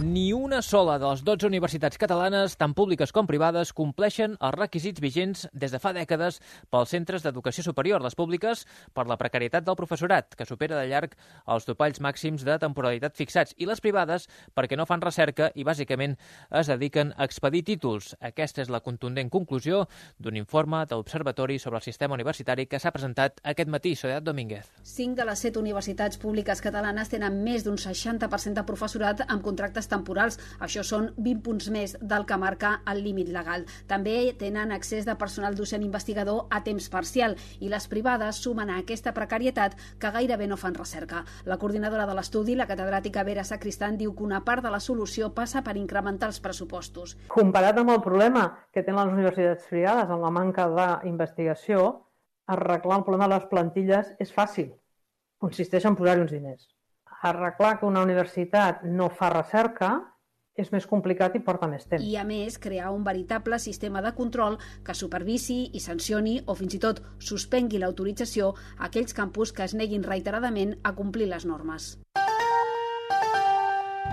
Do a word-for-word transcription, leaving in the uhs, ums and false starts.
Ni una sola de les dotze universitats catalanes, tant públiques com privades, compleixen els requisits vigents des de fa dècades pels centres d'educació superior. Les públiques, per la precarietat del professorat, que supera de llarg els topalls màxims de temporalitat fixats, i les privades, perquè no fan recerca i, bàsicament, es dediquen a expedir títols. Aquesta és la contundent conclusió d'un informe de l'Observatori sobre el sistema universitari que s'ha presentat aquest matí. Soledad Domínguez. Cinc de les set universitats públiques catalanes tenen més d'un seixanta per cent de professorat amb contractes temporals. Això són vint punts més del que marca el límit legal. També tenen accés de personal docent investigador a temps parcial i les privades sumen a aquesta precarietat que gairebé no fan recerca. La coordinadora de l'estudi, la catedràtica Vera Sacristán, diu que una part de la solució passa per incrementar els pressupostos. Comparat amb el problema que tenen les universitats privades amb la manca d'investigació, arreglar el problema de les plantilles és fàcil. Consisteix en posar-hi uns diners. Arreglar que una universitat no fa recerca és més complicat i porta més temps. I, a més, crear un veritable sistema de control que supervisi i sancioni o fins i tot suspengui l'autorització a aquells campus que es neguin reiteradament a complir les normes.